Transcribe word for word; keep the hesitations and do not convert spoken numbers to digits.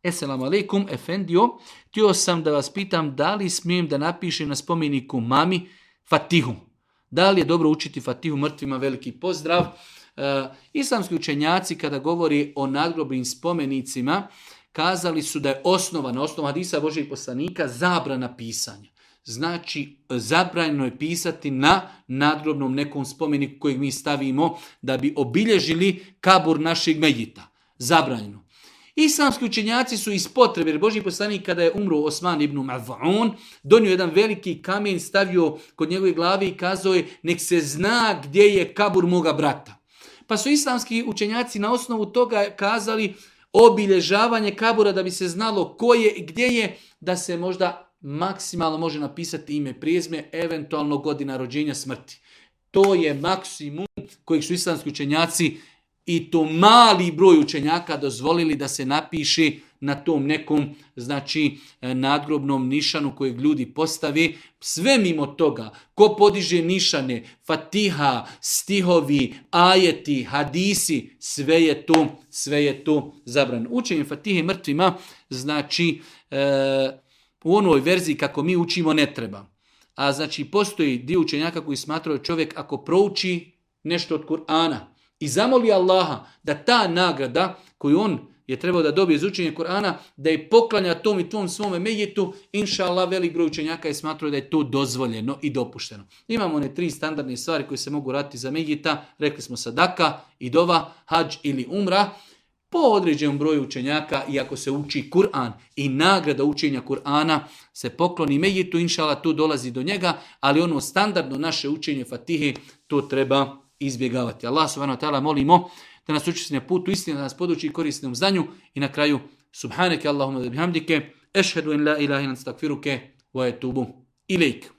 Esselamu alaikum, efendio, htio sam da vas pitam da li smijem da napišem na spomeniku mami Fatihu. Da li je dobro učiti Fatihu mrtvima? Veliki pozdrav. E, islamski učenjaci kada govori o nadgrobnim spomenicima kazali su da je osnova, na osnovu hadisa Božijeg poslanika, zabrana pisanja. Znači, zabranjeno je pisati na nadgrobnom nekom spomeniku kojeg mi stavimo da bi obilježili kabur našeg medjita. Zabranjeno. Islamski učenjaci su iz potrebe, jer Božji poslanik kada je umro Osman ibn Maz'un, donio jedan veliki kamen, stavio kod njegove glave i kazao je nek se zna gdje je kabur moga brata. Pa su islamski učenjaci na osnovu toga kazali obilježavanje kabura da bi se znalo ko je i gdje je, da se možda maksimalno može napisati ime, prijezme, eventualno godina rođenja, smrti. To je maksimum kojeg su islamski učenjaci i to mali broj učenjaka dozvolili da se napiše na tom nekom, znači, nadgrobnom nišanu kojeg ljudi postavi. Sve mimo toga, ko podiže nišane, Fatiha, stihovi, ajeti, hadisi, sve je to, sve je to zabranjeno. Učenje Fatihe mrtvima, znači, e, u onoj verziji kako mi učimo ne treba. A znači, postoji dio učenjaka koji smatraju čovjek ako prouči nešto od Kur'ana i zamoli Allaha da ta nagrada koju on je trebao da dobije iz učenja Kur'ana, da je poklanja tom i tom svome medjetu, inša Allah, velik broj učenjaka je smatrao da je to dozvoljeno i dopušteno. Imamo one tri standardne stvari koje se mogu raditi za medjeta, rekli smo sadaka, idova, hadž ili umra. Po određenom broju učenjaka, iako se uči Kur'an i nagrada učenja Kur'ana se pokloni medjetu, inša Allah, to dolazi do njega, ali ono standardno naše učenje Fatihe, to treba izbjegavati. Allah subhanahu wa ta'ala molimo da nas učesti na putu istine, da nas poduči korisnom znanju i na kraju subhaneke Allahumma da bihamdike, ešhedu in la ilaha illa anta, astakfiruke wa etubu ilejk.